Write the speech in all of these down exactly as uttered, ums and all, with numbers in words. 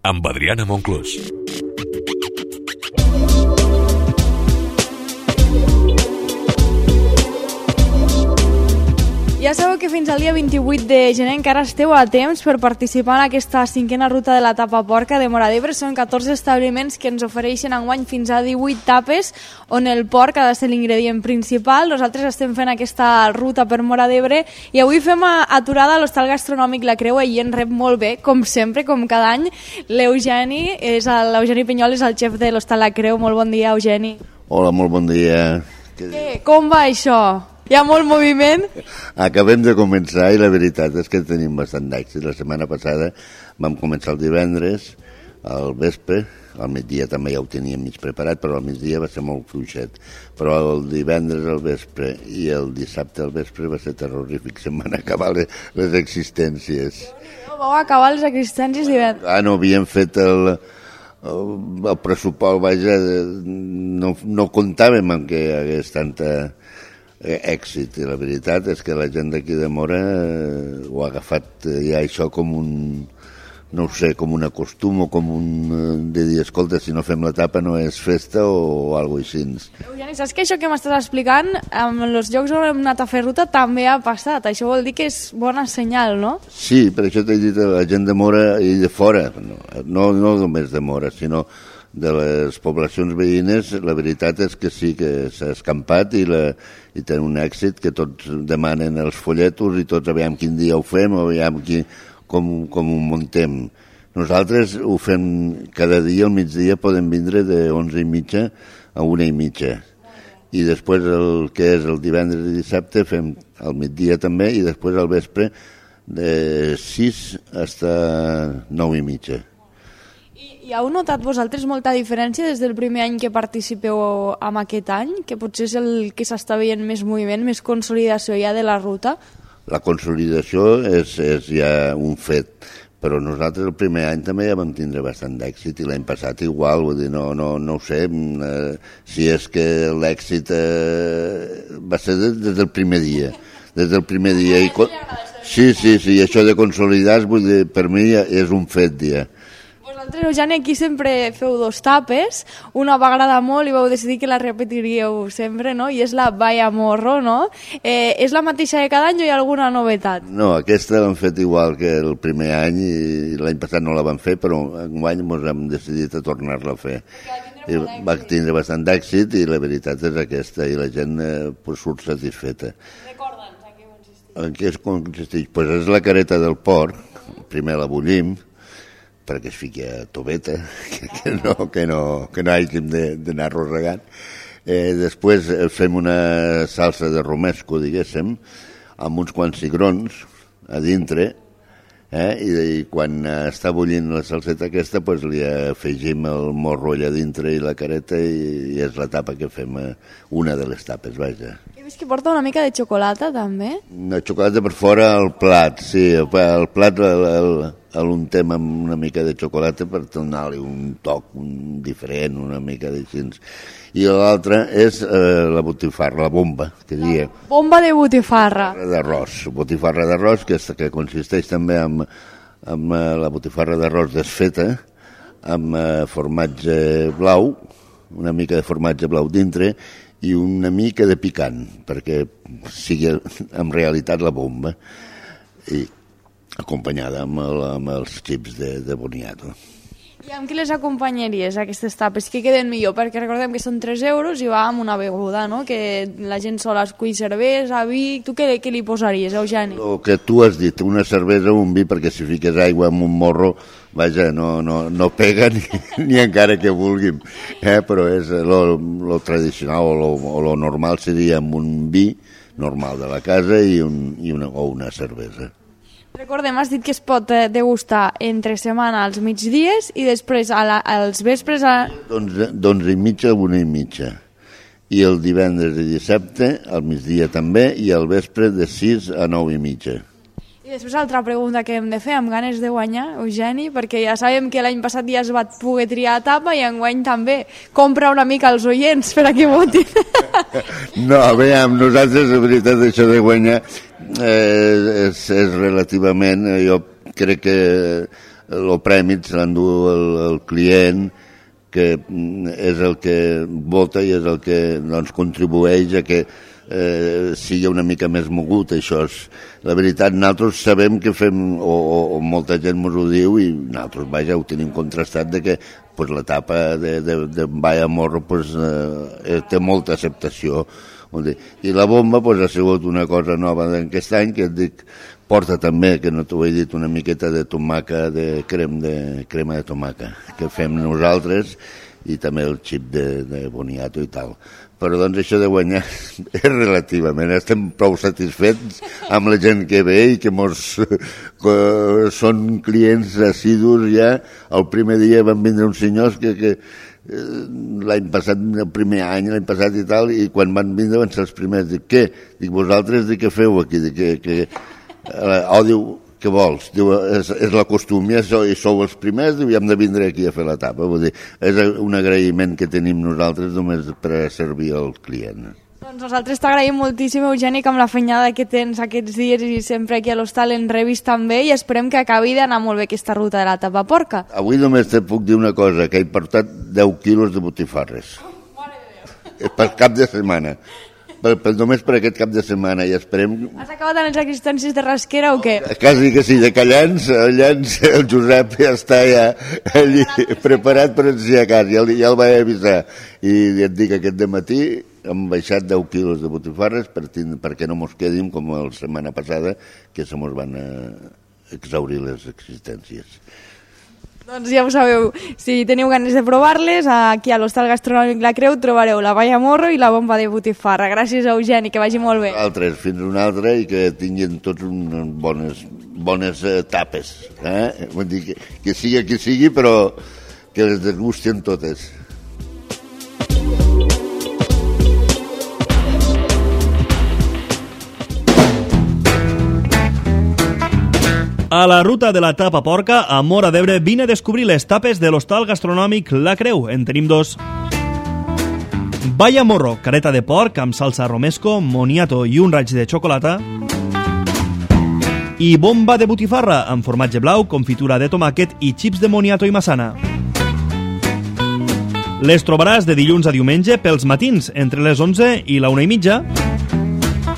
amb Adriana Monclús. Ja sabeu que fins al dia vint-i-vuit de gener encara esteu a temps per participar en aquesta cinquena ruta de la tapa porca de Móra d'Ebre. Són catorze establiments que ens ofereixen enguany fins a divuit tapes on el porc ha de ser l'ingredient principal. Nosaltres estem fent aquesta ruta per Móra d'Ebre i avui fem aturada a l'hostal gastronòmic La Creu i en rep molt bé, com sempre, com cada any, l'Eugeni. És l'Eugeni Pinyol, és el xef de l'hostal La Creu. Molt bon dia, Eugeni. Hola, molt bon dia. Què? Com va això? Hi ha molt moviment? Acabem de començar i la veritat és que tenim bastant d'èxit. La setmana passada vam començar el divendres, al vespre, al migdia també ja ho teníem mig preparat, però al migdia va ser molt fluixet. Però el divendres al vespre i el dissabte al vespre va ser terrorífic, se'n van acabar les, les existències. Vau acabar les existències divendres? Ah, no, havíem fet el... el, el pressupost, vaja, no, no comptàvem amb que hi hagués tanta èxit, i la veritat és que la gent d'aquí de Móra eh, ho ha agafat eh, ja això com un, no ho sé, com un acostum o com un eh, de dir, escolta, si no fem la tapa no és festa o, o alguna cosa així. Eugeni, saps que això que m'estàs explicant amb els llocs on hem anat a fer ruta també ha passat, això vol dir que és bona senyal, no? Sí, per això t'he dit a la gent de Móra i de fora, no, no, no només de Móra, sinó de les poblacions veïnes. La veritat és que sí que s'ha escampat i, la, i té un èxit que tots demanen els folletos i tots aviam quin dia ho fem o aviam qui, com, com ho muntem. Nosaltres ho fem cada dia, al migdia podem vindre de onze i mitja a una i mitja. I després el que és el divendres i dissabte fem al migdia també i després al vespre de sis fins a nou i mitja. I heu notat vosaltres molta diferència des del primer any que participeu en aquest any? Que potser és el que s'està veient més moviment, més consolidació ja de la ruta? La consolidació és, és ja un fet, però nosaltres el primer any també ja vam tindre bastant d'èxit i l'any passat igual, vull dir, no, no, no ho sé, eh, si és que l'èxit eh, va ser des, des del primer dia, des del primer dia. I, sí, sí, sí, això de consolidar, vull dir, per mi és un fet ja. Vosaltres, Eugeni, aquí sempre feu dos tapes, una va agradar molt i vau decidir que la repetiríeu sempre, no? I és la Vaya Morro, no? Eh, és la mateixa de cada any o hi ha alguna novetat? No, aquesta l'hem fet igual que el primer any i l'any passat no la vam fer, però enguany ens hem decidit a tornar-la a fer. I va tindre bastant d'èxit i la veritat és aquesta, i la gent eh, pues, surt satisfeta. Recorda'ns, en què consisteix? En què consisteix? Pues és la careta del porc, primer la bullim, perquè es fiqui a toveta, que, que no, que no, que no hàgim d'anar rosegant. Eh, després fem una salsa de romesco, diguéssim, amb uns quants cigrons a dintre, eh, i, i quan està bullint la salseta aquesta, pues, li afegim el morro allà dintre i la careta i, i és la tapa que fem, eh, una de les tapes, vaja. He vist que porta una mica de xocolata, també? Una xocolata per fora al plat, sí, el plat el, el, l'untem amb una mica de xocolata per donar-li un toc un diferent, una mica d'així. I l'altra és eh, la botifarra, la bomba, que diria. Bomba de botifarra. D'arròs, botifarra d'arròs, que, que consisteix també en, en la botifarra d'arròs desfeta, amb eh, formatge blau, una mica de formatge blau dintre, i una mica de picant, perquè sigui en realitat la bomba. I acompanyada amb, el, amb els xips de, de boniato. I amb què les acompanyaries, aquestes tapes? Què queden millor? Perquè recordem que són tres euros i va amb una beguda, no? Que la gent sola escull cervesa, vi... Tu què, què li posaries, Eugeni? El que tu has dit, una cervesa o un vi, perquè si fiques aigua en un morro, vaja, no, no, no pega ni, ni encara que vulguim. Eh? Però és lo, lo tradicional o lo, o lo normal seria amb un vi normal de la casa i, un, i una, o una cervesa. Recordem, has dit que es pot degustar entre setmana als migdies i després a la, als vespres a... d'onze i mitja a una i mitja. I el divendres i dissabte al migdia també i al vespre de sis a nou i mitja. I després altra pregunta que hem de fer, amb ganes de guanyar, Eugeni, perquè ja sabem que l'any passat ja es va poder triar a tapa i enguany també. Compra una mica els oients per a que votin. No, a veure, amb nosaltres, la veritat, això de guanyar eh, és, és relativament, jo crec que el premi se l'endú el, el client, que és el que vota i és el que doncs, contribueix a que eh, sigui una mica més mogut. Això és la veritat. Nosaltres sabem que fem, o, o, o molta gent ens ho diu, i nosaltres, vaja, ho tenim contrastat, de que pues, l'etapa de, de, de Vaya Morro pues, eh, té molta acceptació. I la bomba pues, ha sigut una cosa nova d'aquest any, que et dic, porta també, que no t'ho he dit, una miqueta de tomaca, de, crem de crema de tomaca, que fem nosaltres, i també el xip de, de boniato i tal. Però doncs això de guanyar és relativament, estem prou satisfets amb la gent que ve i que mos que són clients assidus ja. El primer dia van vindre uns senyors que, que l'any passat, el primer any, l'any passat i tal, i quan van vindre van ser els primers. Dic, què? Dic, vosaltres, dic, què feu aquí? Dic, que, que... Oh, diu, què vols? Diu, és, és la costum, ja sou, sou els primers, diu, i hem de vindre aquí a fer l'etapa. Vull dir, és un agraïment que tenim nosaltres només per servir al client. Doncs nosaltres t'agraïm moltíssim, Eugeni, amb la feinada que tens aquests dies i sempre aquí a l'hostal en rebis també, i esperem que acabi d'anar molt bé aquesta ruta de la Tapa Porca. Avui només te puc dir una cosa, que he portat deu quilos de botifarres. Oh, mare de Déu. Per cap de setmana. Per, per, només per aquest cap de setmana, i esperem... Has acabat amb les existències de rasquera o què? Quasi que sí, de Callans, Callans, el Josep ja està ja allí, preparat per ensenyar a casa, ja, ja el vaig avisar. I et dic, aquest dematí hem baixat deu quilos de botifarres per, perquè no mos quedin com la setmana passada, que se mos van exaurir les existències. Doncs ja ho sabeu, si teniu ganes de provar-les, aquí a l'Hostal Gastronòmic La Creu trobareu la Vaya Morro i la bomba de botifarra. Gràcies, Eugeni, que vagi molt bé. Altres, fins una altra, i que tinguin tots unes bones, bones eh, tapes. Eh? Vull dir que, que sigui qui sigui, però que les desgusten totes. A la ruta de la Tapa Porca, a Móra d'Ebre, vine a descobrir les tapes de l'Hostal Gastronòmic La Creu. En tenim dos. Vaya Morro, careta de porc amb salsa romesco, moniato i un raig de xocolata. I bomba de botifarra amb formatge blau, confitura de tomàquet i xips de moniato i massana. Les trobaràs de dilluns a diumenge pels matins, entre les onze i la una i mitja.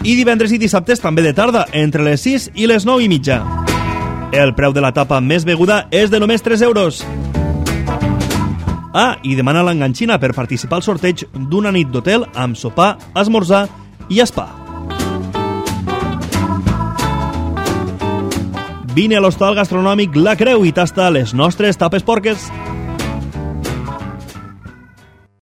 I divendres i dissabtes també de tarda, entre les sis i les nou i mitja. El preu de la tapa més beguda és de només tres euros. Ah, i demana l'enganxina per participar al sorteig d'una nit d'hotel amb sopar, esmorzar i spa. Vine a l'Hostal Gastronòmic La Creu i tasta les nostres tapes porques.